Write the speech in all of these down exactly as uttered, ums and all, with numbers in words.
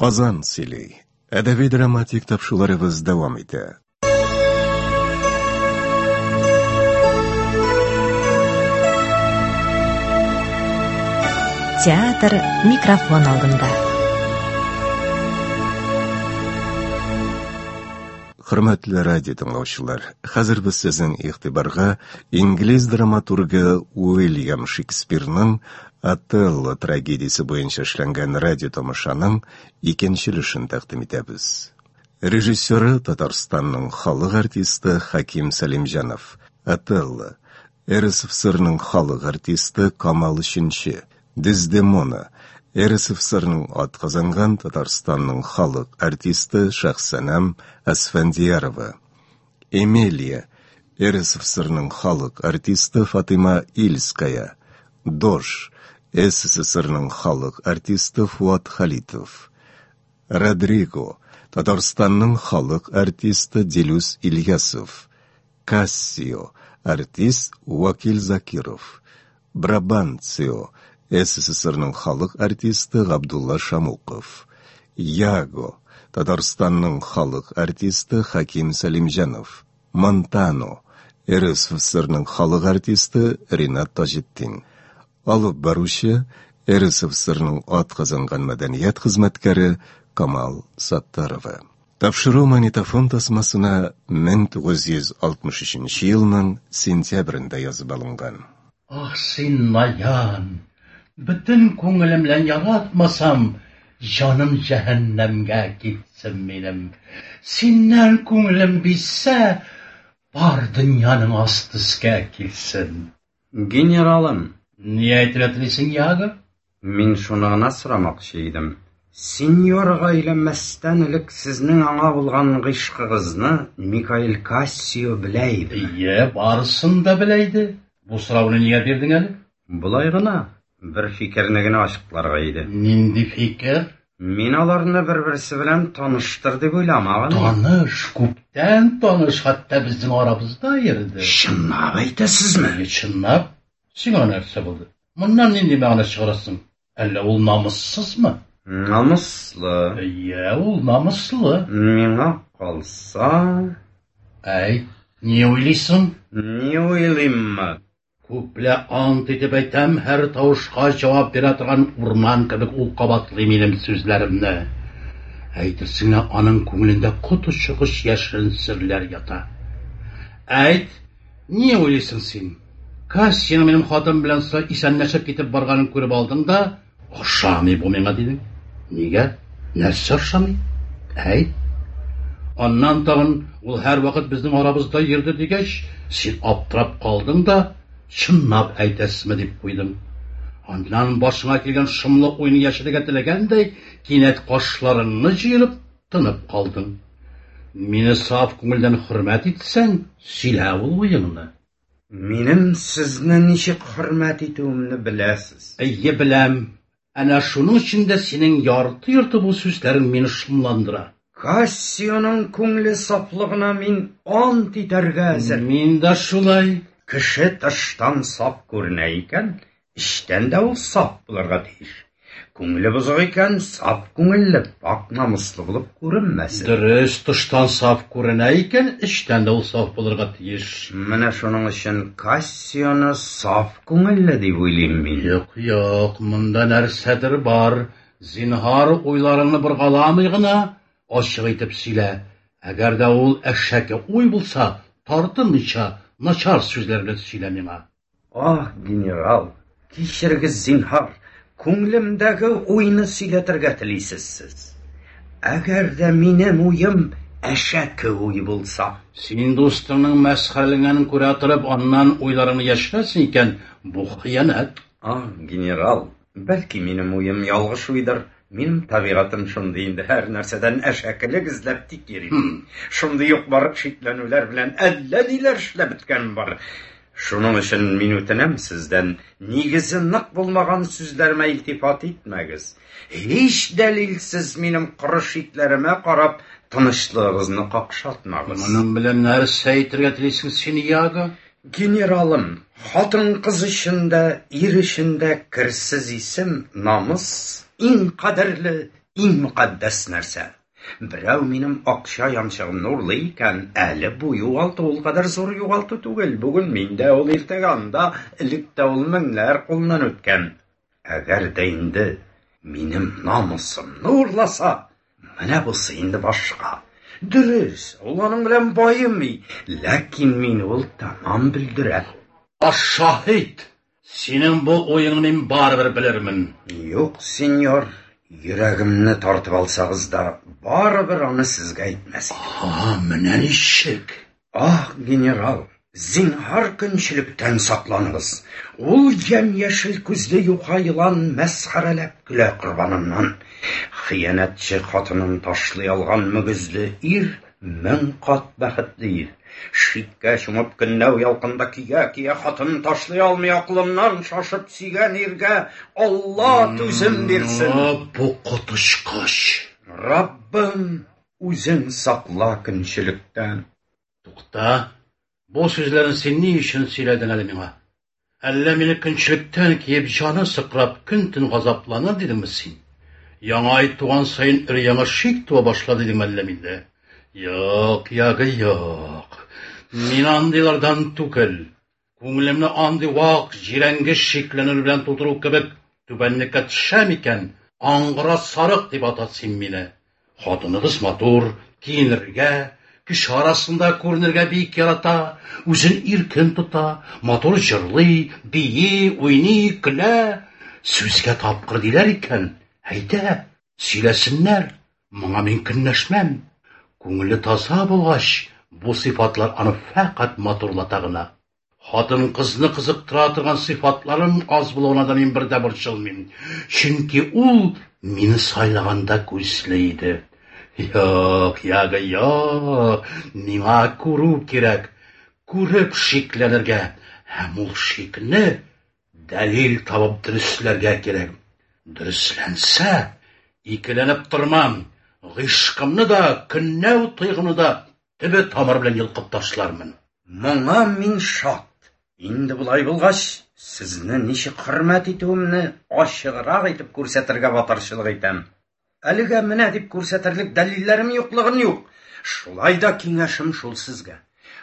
Казан сөйли. Әдәби драматик тапшыруларыбыз дәвам итә. Театр микрофон алдында. Хөрмәтле радио тыңлаучылар, хәзер без сезнең игътибарга инглиз драматургы Уильям Шекспирның Отелло трагедиясе буенча эшләнгән радио тамашаның икенче өлешен тәкъдим итәбез. Режиссеры Татарстанның халык артисты Хаким Сәлимҗанов. Отелло, РСФСРның халык артисты Камал Өченче, Дездемона, РСФСРның атказанган Татарстанның халык артисты Шәхсәнәм Әсфәндиярова. Эмилия, РСФСРның халык артисты Фатыйма Ильская. Дож, СССРның халык артисты Фуат Халитов. Родриго, Татарстанның халык артисты Дилүс Ильясов. Кассио, артист Вакил Закиров. Брабанцио, СССРның халык артисты Габдулла Шамуков. Яго, Татарстанның халык артисты Хаким Сәлимҗанов. Монтано, РСФСРның халык артисты Ринат Таҗетдин. Алып баручы РСФСРның атказанган мәдәният хезмәткәре Камал Саттарова. Тапшыру магнитофон тасмасына мең тугыз йөз алтмыш өченче елның сентябрендә язып алынган. Ах, син наян! Бөтен күңелем белән яратмасам, җаным җәһәннәмгә китсен минем. Синнән күңелем бизсә, бар дөньяның асты өскә килсен. Генералым, Ни әйтергә телисең, Яго? Мин шуны гына сорамакчы идем. Сеньорга өйләнмәстән элек сезнең аңа булган гыйшкыгызны Микаэль Кассио белә иде. Ие, барысын да белә иде. Бу сорауны нигә бирдең әле? Болай гына, бер фикерне генә ачыкларга иде. Нинди фикер? Мин аларны бер-берсе белән таныштыр дип уйламаган. Таныш, күптән таныш, хәтта безнең арабызда йөрде. Чынлап әйтәсезме? Әйе, чынлап. Сиңа нәрсә булды? Моннан нинди мәгънә чыгарасың? Әллә ул намуссызмы? Намуслы. Әйе, ул намуслы. Миңа калса... Әй, ни уйлыйсың? Ни уйлыйммы? Күплә ант итеп әйтәм, һәр тавышка җавап бирә торган урман кебек ул кабатлый минем сүзләремне. Әйтерсең лә аның күңелендә коточкыч яшерен серләр ята. Әйт, ни уйлыйсың син? Кассияның минем хатын белән исәнләшеп китеп барганын күреп алдың да, ошамый бу миңа дидең. Нигә? Нәрсә ошамый? Әйт. Аннан тагын ул һәрвакыт безнең арабызда йөрде дигәч, син аптырап калдың да, чынлап әйтәсезме дип куйдың. Аннан башыңа килгән шомлы уйны яшерергә теләгәндәй, кинәт кашларыңны җыерып тынып калдың. Мине саф күңелдән хөрмәт итсәң, сөйлә ул уеңны. Минем сезне ничек хөрмәт итүемне беләсез. Әйе, беләм. Әнә шуның өчен дә синең ярты-йорты бу сүзләрең мине шомландыра. Кассионың күңеле сафлыгына мин ант итәргә әзер. Мин дә шулай. Кеше тыштан саф күренә икән, эчтән дә ул саф булырга тиеш. Күңеле бозык икән, саф күңелле, пак намуслы булып күренмәсен. Дөрес, тыштан саф күренә икән, эчтән дә ул саф булырга тиеш. Менә шуның өчен Кассионы саф күңелле дип уйлыйм мин. Юк, юк, монда нәрсәдер бар. Зинһар, уйларыңны боргаламый гына ачык итеп сөйлә. Әгәр дә ул әшәке уй булса, тартынмыйча начар сүзләр белән сөйлә миңа. Ах, генерал, кичерегез зинһар. Күңелемдәге уйны сөйләтергә телисез сез. Әгәр дә минем уем әшәке уй булса. Син дустыңның мәсхәрәләнгәнен күрә торып, аннан уйларыңны яшерәсең икән, бу хыянәт. Ах, генерал, бәлки минем уем ялгыш уйдыр. Минем табигатем шундый инде, һәр нәрсәдән әшәкелек эзләп тик йөрим. Шундый юк бар шикләнүләр белән әллә ниләр эшләп беткән бар. Шуның өчен мин үтенәм сездән, нигезе нык булмаган сүзләремә илтифат итмәгез. Һич дәлилсез минем коры шикләремә карап, тынычлыгыгызны какшатмагыз. Моның белән нәрсә әйтергә телисең син, Яго? Генералым, хатын-кыз өчен дә, ир өчен дә керсез исем, намус иң кадерле, иң мөкатдәс нәрсә. Берәү минем акча янчыгымны урлый икән, әле бу югалту ул кадәр зур югалту түгел. Бүген миндә ул, иртәгә анда, элек тә ул меңнәр кулыннан үткән. Әгәр дә инде минем намусымны урласа, менә бусы инде башка. Дөрес, ул аның белән баемый, ләкин мине ул тәмам бөлдерә. Шаһит, синең бу уеңны мин барыбер белермен. Юк, сеньор, йөрәгемне тартып алсагыз да, барыбер аны сезгә әйтмәс идем. А, менә ничек. Ах, генерал, зинһар көнчелектән сакланыгыз. Ул ямь-яшел күзле юха елан мәсхәрәләп көлә корбаныннан. Хыянәтче хатынын ташлый алган мөгезле ир мең кат бәхетле ир. Шиккә чумып көнләү ялкында көя-көя хатынын ташлый алмый акылыннан шашып сөйгән иргә Алла түзем бирсен. Бу коточкыч. Раббым, үзең сакла көнчелектән. Тукта, бу сүзләрне син ни өчен сөйләдең әле миңа? Әллә мине көнчелектән киеп җаны сыкрап көн-төн газапланыр дидеңме син? Яңа ай туган саен өр-яңа шик туа башлады дидеңме әллә миндә? Юк, ягы юк. Мин андыйлардан түгел. Күңелемне андый вак, җирәнгеч шикләнү белән тутыру кебек түбәнлеккә төшәм икән, аңгыра сарык дип ата син мине. Хатыныгыз матур, киенергә, кеше арасында күренергә бик ярата, үзен иркен тота, матур җырлый, бии, уйный, көлә. Сүзгә тапкыр диләр икән. Әйдә, сөйләсеннәр. Моңа мин көнләшмәм. Күңеле таза булгач, бу сыйфатлар аны фәкать матурлата гына. Хатын-кызны кызыктыра торган сыйфатларым аз булуына да мин бер дә борчылмыйм. Чөнки ул мине сайлаганда күзле иде. Юк, ягы юк, миңа күрү кирәк, күреп шикләнергә һәм ул шикне дәлил табып дөресләргә кирәк. Дөресләнсә, икеләнеп тормам, гыйшкымны да, көнләү тойгымны да төбе тамыр белән йолкып ташлармын. Моңа мин шат. Инде болай булгач, сезне ничек хөрмәт итүемне ачыграк итеп күрсәтергә батырчылык итәм. Әлегә менә дип күрсәтерлек дәлилләрем юклыгын юк. Шулай да киңәшем шул сезгә.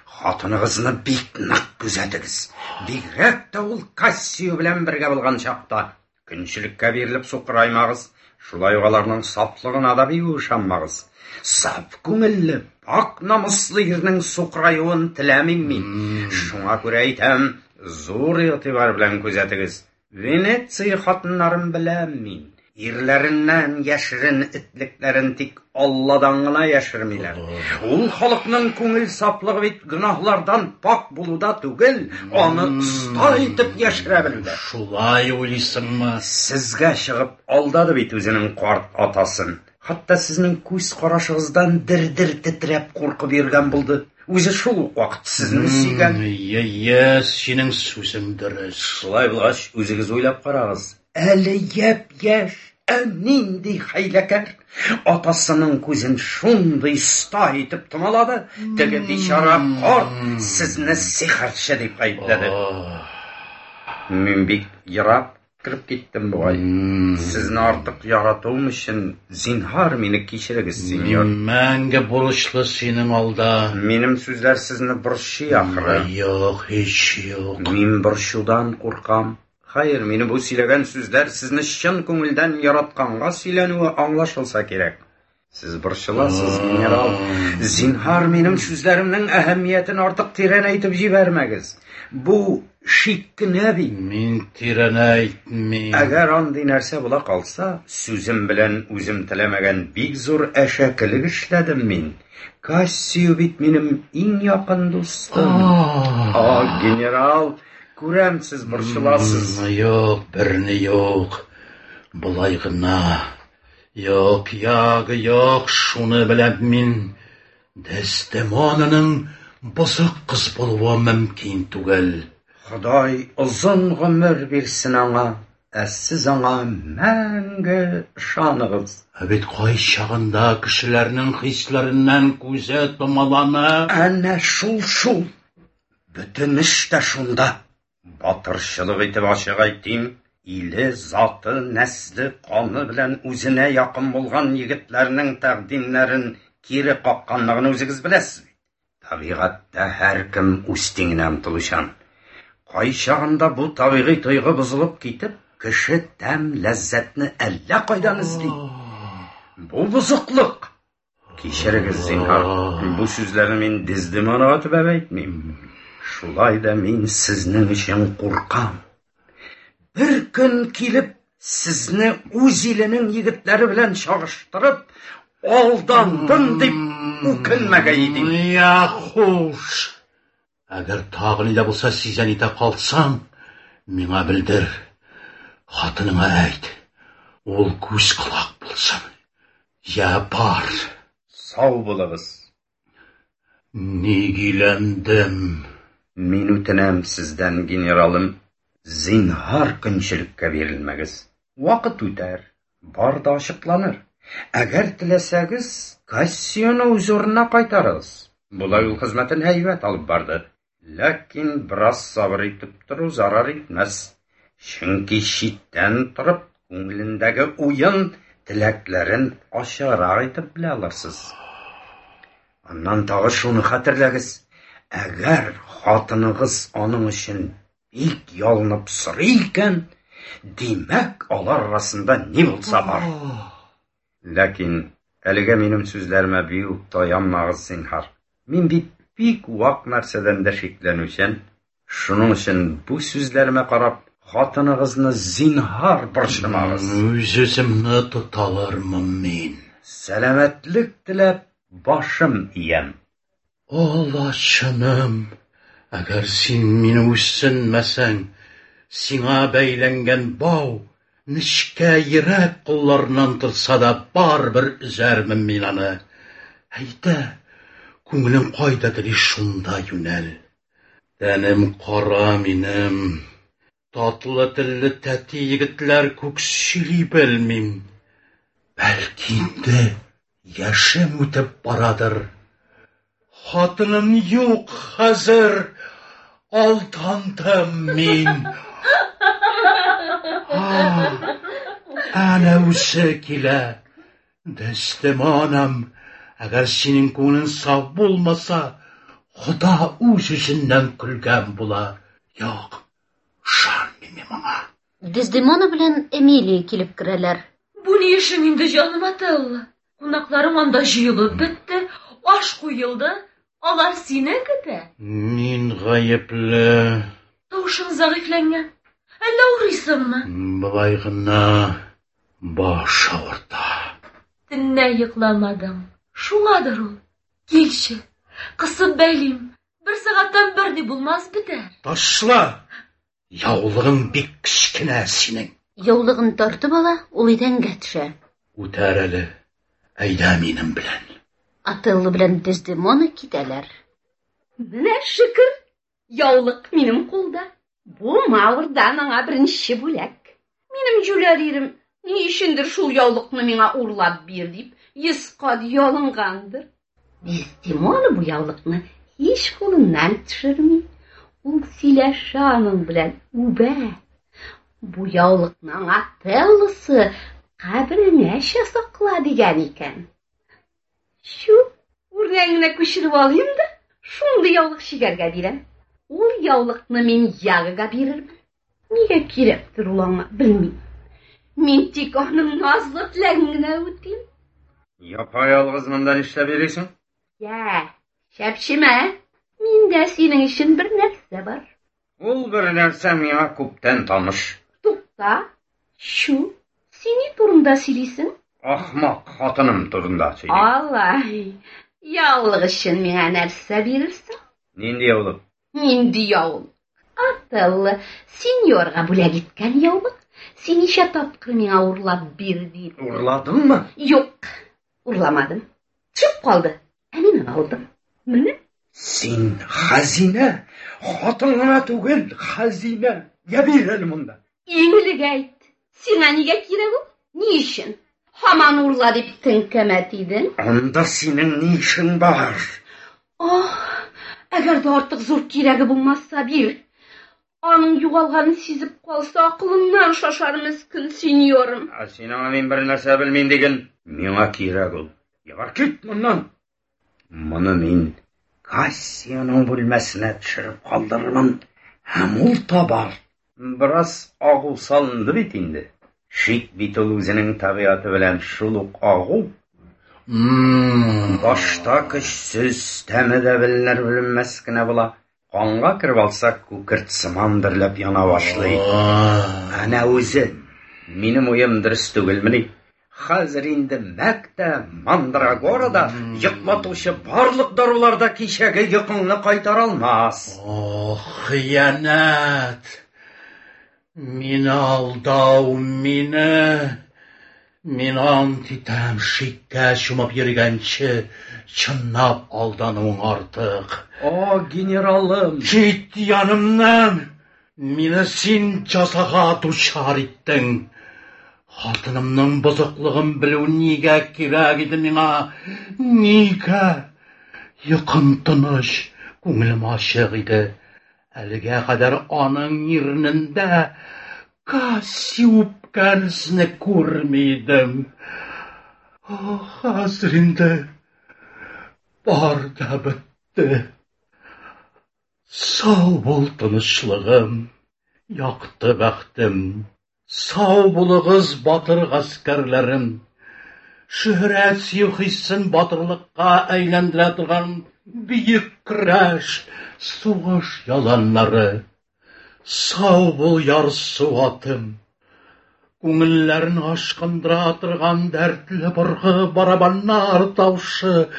Хатыныгызны бик нык күзәтегез. Бигрәк тә ул Кассио белән бергә булган чакта. Көнчелеккә бирелеп сукыраймагыз. Шулай ук аларның сафлыгына да бик ышанмагыз. Саф күңелле, пак намуслы ирнең сукыраюын теләмим мин. Шуңа күрә әйтәм, зур игътибар белән күзәтегез. Венеция хатыннарын беләм мин. Ирләреннән яшерен этлекләрен тик Алладан гына яшермиләр. Ул халыкның күңел сафлыгы бит гөнаһлардан пак булуда түгел, аны оста итеп яшерә белүдә. Шулай уйлыйсыңмы? Сезгә чыгып алдады бит үзенең карт атасын. Хәтта сезнең күз карашыгыздан дер-дер тетрәп куркып йөргән булды. Үзе шул ук вакыт сезне сөйгән. Йе, синең сүзең дөрес. Шулай булгач, үзегез уйлап карагыз. Әле япь-яшь, ә нинди хәйләкәр! Атасының күзен шундый оста итеп томалады, теге бичара карт сезне сихерче дип гаепләде. Мин бик ерак кереп киттем бугай. Сезне артык яратуым өчен зинһар мине кичерегез, сеньор. Мин мәңге бурычлы синең алда. Минем сүзләр сезне борчый ахры. Юк, һич юк. Мин борчудан куркам. Хәер, мине бу сөйләгән сүзләр сезне чын күңелдән яратканга сөйләнүе аңлашылса кирәк. Сез борчыласыз, генерал. Зинһар минем сүзләремнең әһәмиятен артык тирәнәйтеп җибәрмәгез. Бу шик кенә бит. Мин тирәнәйтмим. Әгәр андый нәрсә була калса, сүзем белән үзем теләмәгән бик зур әшәкелек эшләдем мин. Кассио бит минем иң якын дустым. А, генерал, күрәм, сез борчыласыз. Юк, берни юк. Болай гына. Юк, ягы юк, шуны беләм мин. Дездемонаның бозык кыз булуы мөмкин түгел. Ходай озын гомер бирсен аңа, ә сез аңа мәңге ышаныгыз. Ә бит кайчагында кешеләрнең хисләреннән күзе томалана. Әнә шул шул. Бөтен эш тә шунда. Батырчылык итеп ачык әйтим, Иле, заты, нәсле, каны белән үзенә якын булган егетләрнең тәкъдимнәрен кире какканлыгын үзегез беләсез бит. Табигатьтә һәркем үз тиңенә омтылучан. Кайчагында бу табигый тойгы бозылып китеп, кеше тәм ләззәтне әллә кайдан эзли. Бу бозыклык. Кичерегез, зинһар, бу сүзләрне мин Дездемонага төбәп әйтмим. Шулай да мин сезнең өчен куркам. Бер көн килеп, сезне үз иленең егетләре белән чагыштырып, алдандым дип үкенмәгәй идем. Я, хуш. Әгәр тагы ни дә булса сизә нитә калсаң, миңа белдер. Хатыныңа әйт. Ул күз колак булсын. Я, бар. Сау булыгыз. Ник өйләндем? Мин үтенәм сездән, генералым, зинһар көнчелеккә бирелмәгез. Вакыт үтәр, бар да ачыкланыр. Әгәр теләсәгез, Кассионы үз урынына кайтарыгыз. Болай ул хезмәтен һәйбәт алып барды. Ләкин бераз сабыр итеп тору зарар итмәс. Чөнки читтән торып, күңелендәге уен, теләкләрен ачыграк итеп белә алырсыз. Аннан тагы шуны хәтерләгез. Әгәр хатыныгыз аның өчен бик ялынып сорый икән, димәк, алар арасында ни булса бар. Ләкин әлегә минем сүзләремә бик таянмагыз, зинһар. Мин бит бик вак нәрсәдән дә шикләнүчән. Шуның өчен бу сүзләремә карап, хатыныгызны зинһар борчымагыз. Үз-үземне тота алырмын мин. Сәламәтлек теләп башым иям. Аллачыным, әгәр син мине үсенмәсәң, сиңа бәйләнгән бау нечкә йөрәк кулларыннан торса да барыбер өзәрмен мин аны. Әйдә, күңелең кайда тели, шунда юнәл. Тәнем кара минем. Татлы телле тәти егетләр күк сөйли белмим. Бәлки инде яшем үтеп барадыр. Хатыным юк хәзер. Алдандым мин. Әнә үзе килә. Дездемонам, әгәр синең күңелең саф булмаса, Хода үз үзеннән көлгән була. Юк, ышанмыйм мин моңа. Дездемона белән Эмилия килеп керәләр. Бу ни эшең инде, җаным Отелло? Кунакларың анда җыелып бетте, аш куелды, алар сине көтә. Мин гаепле. Тавышың зәгыйфьләнгән. Әллә авырыйсыңмы? Болай гына баш авырта. Төнлә йокламадың. Шуңадыр ул. Килче, кысып бәйлим. Бер сәгатьтән берни булмас, бетәр. Ташла! Яулыгың бик кечкенә синең. Яулыгын тартып ала, ул идәнгә төшә. Үтәр әле. Әйдә минем белән. Отелло белән Дездемона китәләр. Менә шөкер, яулык минем кулда. Бу Маврдан аңа беренче бүләк. Минем җүләр ирем ни өчендер шул яулыкны миңа урлап бир дип йөз кат ялынгандыр. Дездемона бу яулыкны һич кулыннан төшерми. Ул сөйләшә аның белән, үбә. Бу яулыкны аңа Отеллосы кабереңәчә сакла дигән икән. Чү, үрнәгенә күчереп алыйм да, шундый яулык чигәргә бирәм. Ул яулыкны мин Ягога бирермен. Нигә кирәктер ул аңа, белмим. Мин тик аның назлы теләген генә үтим. Япа-ялгыз монда нишләп йөрисең? Йә, чәпчемә. Миндә синең өчен бер нәрсә бар. Ул бер нәрсә миңа күптән таныш. Тукта, чү, син ни турында сөйлисең? Ахмак хатыным турында сөйлим. Алай, яулык өчен миңа нәрсә бирерсең? Нинди яулык? Нинди яулык? Отелло сеньорга бүләк иткән яулык. Син ничә тапкыр миңа урлап бир дип. Урладыңмы? Юк, урламадым. Төшеп калды. Ә мин аны алдым. Менә. Син хәзинә, хатын гына түгел, хәзинә. Я бир әле монда. Иң элек әйт, сиңа нигә кирәк ул? Ни өчен? Һаман урла дип теңкәмә тидең. Анда синең ни эшең бар? Ох, әгәр дә артык зур кирәге булмаса бир. Аның югалганын сизеп калса, акылыннан шашар мескен сеньорым. Ә син аңа мин бер нәрсә белмим диген. Миңа кирәк ул. Ябар, кит моннан. Моны мин Кассионың бүлмәсенә төшереп калдырырмын, һәм ул табар. Бераз агу салынды бит инде. Шик бит ул үзенең табигате белән шул ук агу. Башта көчсез, тәме дә беленер беленмәс кенә була. Канга кереп алса, күкерт сыман дөрләп яна башлый. Әнә үзе. Минем уем дөрес түгелмени? Хәзер инде мәк тә, мандрагора да, йоклатучы барлык дарулар да кичәге йокыңны кайтара алмас. О, хыянәт! Мине алдау, мине... Мин ант итәм, шиккә чумып йөргәнче, чынлап алдануың артык. О, генералым! Кит янымнан! Мине син җәзага дучар иттең. Хатынымның бозыклыгын белү нигә кирәк иде миңа? Нигә? Йокым тыныч, күңелем ачык иде. Әлегә кадәр аның иренендә Касси үпкән эзне күрми идем. О, хәзер инде бар да бетте. Сау бул, тынычлыгым, якты бәхтем. Сау булыгыз, батыр гаскәрләрем. Шөһрәт сөю хиссен батырлыкка әйләндерә торган бөек көрәш, сугыш яланнары. Сау бул, ярсу атым. Күңелләрен ашкындыра торган дәртле быргы, барабаннар тавышы,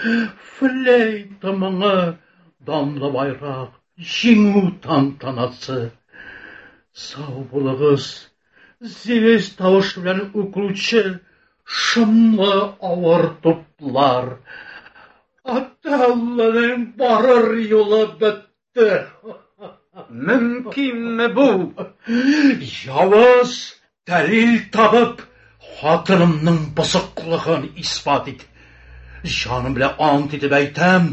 флейта моңы, данлы байрак, җиңү тантанасы. Сау булыгыз, зевес тавышы белән үкерүче шомлы авыр туплар. Отеллоның барыр юлы бетте. Мөмкинме бу? Явыз дәлил табып, хатынымның бозыклыгын исбат ит. Җаным белән ант итеп әйтәм,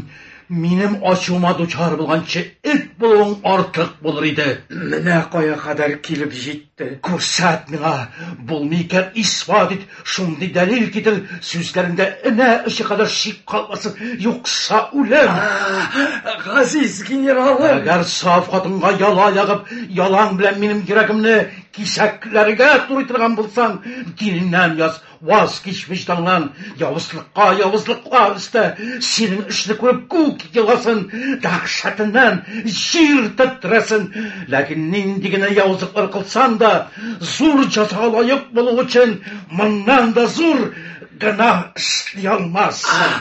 минем ачуыма дучар булганчы эт булуың артык булыр иде. Менә кая кадәр килеп җитте. Күрсәт миңа, булмый икән, исбат ит, шундый дәлил китер, сүзләреңдә энә очы кадәр шик калмасын, юкса үлем. Газиз генералым! Әгәр саф хатынга яла ягып, ялан белән минем йөрәгемне кисәкләргә турый торган булсаң, динеңнән яз, ваз кич вөҗданнан, явызлыкка явызлыклар өстә, синең эшне күреп күк еласын, дәһшәтеннән җир тетрәсен. Ләкин нинди генә явызлыклар кылсаң да, зур җәзага лаек булу өчен моннан да зур гөнаһ эшли алмассың.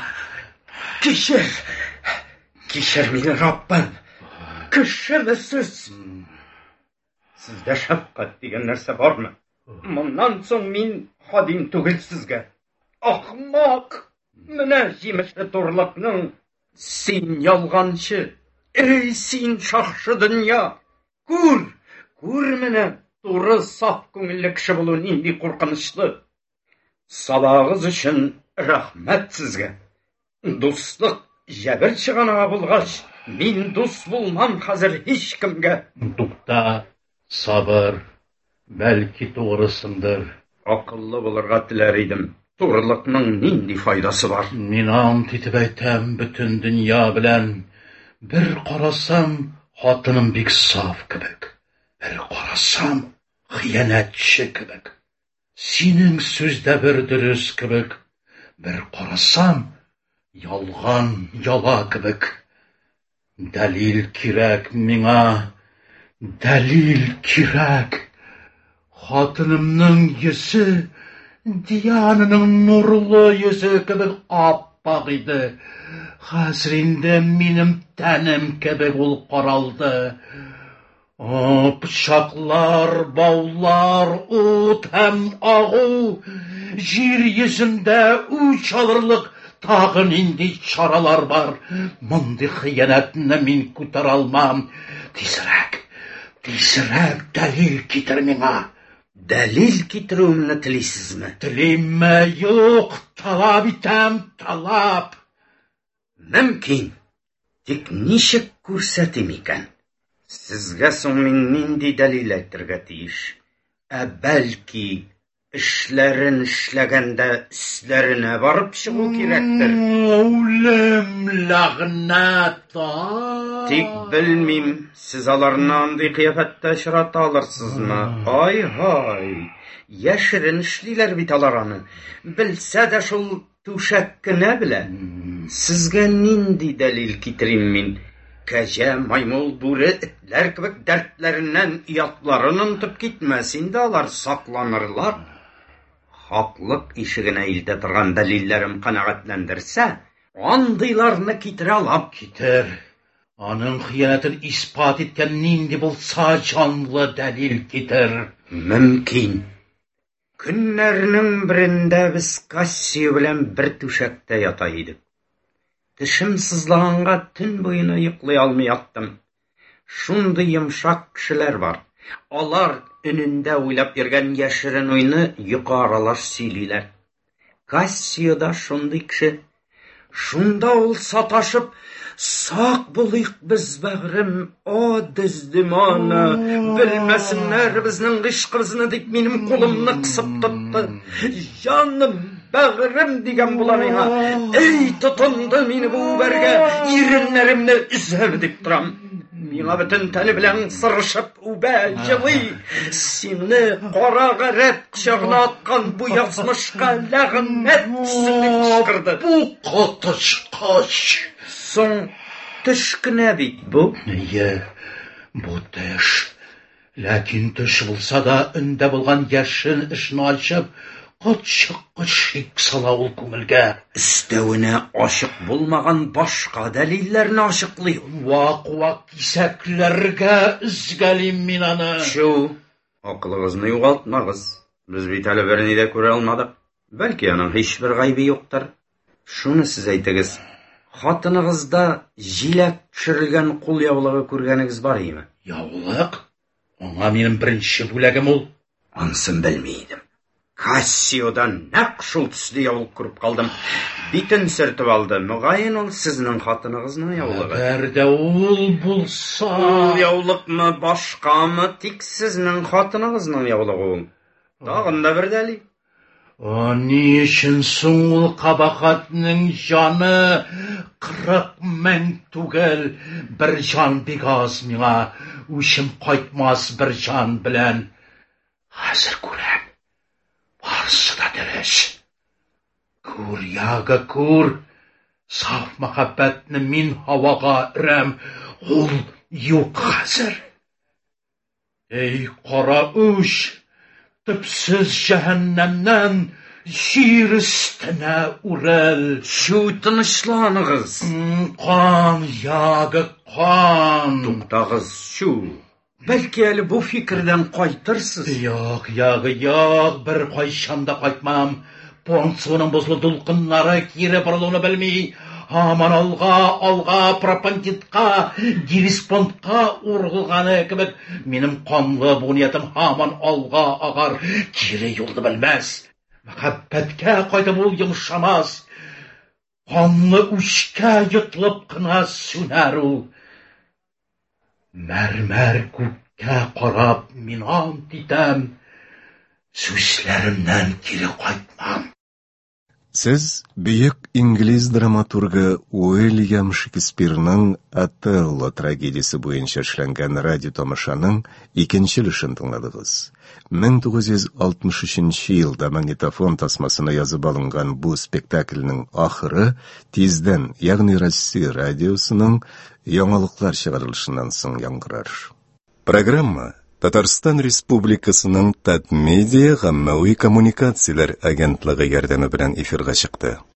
Кичер, кичер мине, Раббым. Кешеме сез? Сездә шәфкать дигән нәрсә бармы? Моннан соң мин хадим түгел сезгә. Ахмак! Менә җимеше турлыкның. Син ялганчы! Эй, син шахшы дөнья! Күр, күр менә, туры саф күңелле кеше булу нинди куркынычлы. Сабагыз өчен рәхмәт сезгә. Дуслык җәбер чыганагы булгач, мин дус булмам хәзер һичкемгә. Тукта, сабыр, бәлки тугрысыңдыр. Акыллы булырга теләр идем. Турылыкның нинди файдасы бар? Мин ант итеп әйтәм бөтен дөнья белән. Бер карасам, хатыным бик саф кебек. Бер карасам, хыянәтче кебек. Синең сүз дә бер дөрес кебек. Бер карасам, ялган яла кебек. Дәлил кирәк миңа, дәлил кирәк. Хатынымның йөзе Диананың нурлы йөзе кебек ап-ак иде. Хәзер инде минем тәнем кебек ул каралды. О, пычаклар, баулар, ут һәм агу, җир йөзендә үч алырлык тагы нинди чаралар бар. Мондый хыянәтне мин күтәрә алмам. Тизрәк, тизрәк дәлил китер миңа. Дәлил китерүемне телисезме? Телимме? Юк, талап итәм, талап. Мөмкин. Тик ничек күрсәтим икән? Сезгә соң мин нинди дәлил әйтергә тиеш? Ә бәлки эшләрен эшләгәндә өсләренә барып чыгу кирәктер. Үлем ләгънәт! Тик белмим, сез аларны андый кыяфәттә очрата алырсызмы? Ай-һай, яшерен эшлиләр бит алар аны. Белсә дә шул түшәк кенә белә. Сезгә нинди дәлил китерим мин? Кәҗә, маймыл, бүре, этләр кебек дәртләреннән оятларын онытып китмәс инде алар, сакланырлар. Хаклык ишегенә илтә торган дәлилләрем канәгатьләндерсә, андыйларны китерә алам. Китер. Аның хыянәтен исбат иткән нинди булса җанлы дәлил китер. Мөмкин. Көннәрнең берендә без Кассио белән бер түшәктә ята идек. Тешем сызлаганга төн буена йоклый алмый яттым. Шундый йомшак кешеләр бар. Алар өнендә уйлап йөргән яшерен уйны йокы аралаш сөйлиләр. Кассио да шундый кеше. Шунда ул саташып, сак булыйк без, бәгърем, о Дездемона, белмәсеннәр безнең гыйшкыбызны дип минем кулымны кысып тотты. Җаным, бәгърем дигән була миңа. Эй, тотынды мине бу үбәргә, иреннәремне өзәм дип торам. Миңа бөтен тәне белән сырышып үбә, җылый. Сине кара гарәп кочагына аткан бу язмышка ләгънәт төшсен дип кычкырды. Бу коточкыч. Соң төш кенә бит бу. Әйе, бу төш. Ләкин төш булса да өндә булган яшен эшне ачып, котчыккыч шик сала ул күңелгә. Өстәвенә ачык булмаган башка дәлилләрне ачыклый. Вак-вак кисәкләргә өзгәлим мин аны. Чү, акылыгызны югалтмагыз. Без бит әле берни дә күрә алмадык. Бәлки аның һичбер гаебе юктыр. Шуны сез әйтегез. Хатыныгызда җиләк төшерелгән кул яулыгы күргәнегез бар име? Яулык? Аңа минем беренче бүләгем ул. Ансын белми идем. Кассиодан нәкъ шул төсле яулык күреп калдым. Битен сөртеп алды. Мөгаен ул сезнең хатыныгызның яулыгы. Әгәр дә ул булса... Ул яулыкмы, башкамы, тик сезнең хатыныгызның яулыгы ул. Тагын да бер дәлил. О, ни өчен соң ул кабахатның җаны кырык мең түгел, бер җан бик аз миңа, үчем кайтмас бер җан белән. Хәзер күрәм, барысы да дөрес. Күр, Яга, күр, саф мәхәббәтне мин һавага өрәм, ул юк хәзер. Эй, кара үч, төпсез җәһәннәмнән җир өстенә үрел. Чү, тынычланыгыз. Кан, Яга, кан. Туктагыз, чү. Бәлки әле бу фикердән кайтырсыз. Юк, Яга, юк, бер кайчан да кайтмам. Понт суының бозлы дулкыннары кире борылуны белми. Һаман алга, алга, Пропонтидка, Геллеспонтка ургылганы кебек, минем канлы бу ниятем һаман алга агар, кире юлны белмәс. Мәхәббәткә кайтып ул йомшамас. Канлы үчкә йотылып кына сүнәр ул. Мәрмәр күккә карап мин ант итәм, сүзләремнән кире кайтмам. Сез бөек инглиз драматургы Уильям Шекспирның Отелло трагедиясе буенча эшләнгән радио тамашаның икенче өлешен тыңладыгыз. мең тугыз йөз алтмыш өченче елда магнитофон тасмасына язып алынган бу спектакльнең ахыры тиздән, ягъни Россия радиосының яңалыклар чыгарылышыннан соң яңгырар. Программа Татарстан Республикасының Татмедиа гаммәви коммуникацияләр агентлыгы ярдәме белән эфирга чыкты.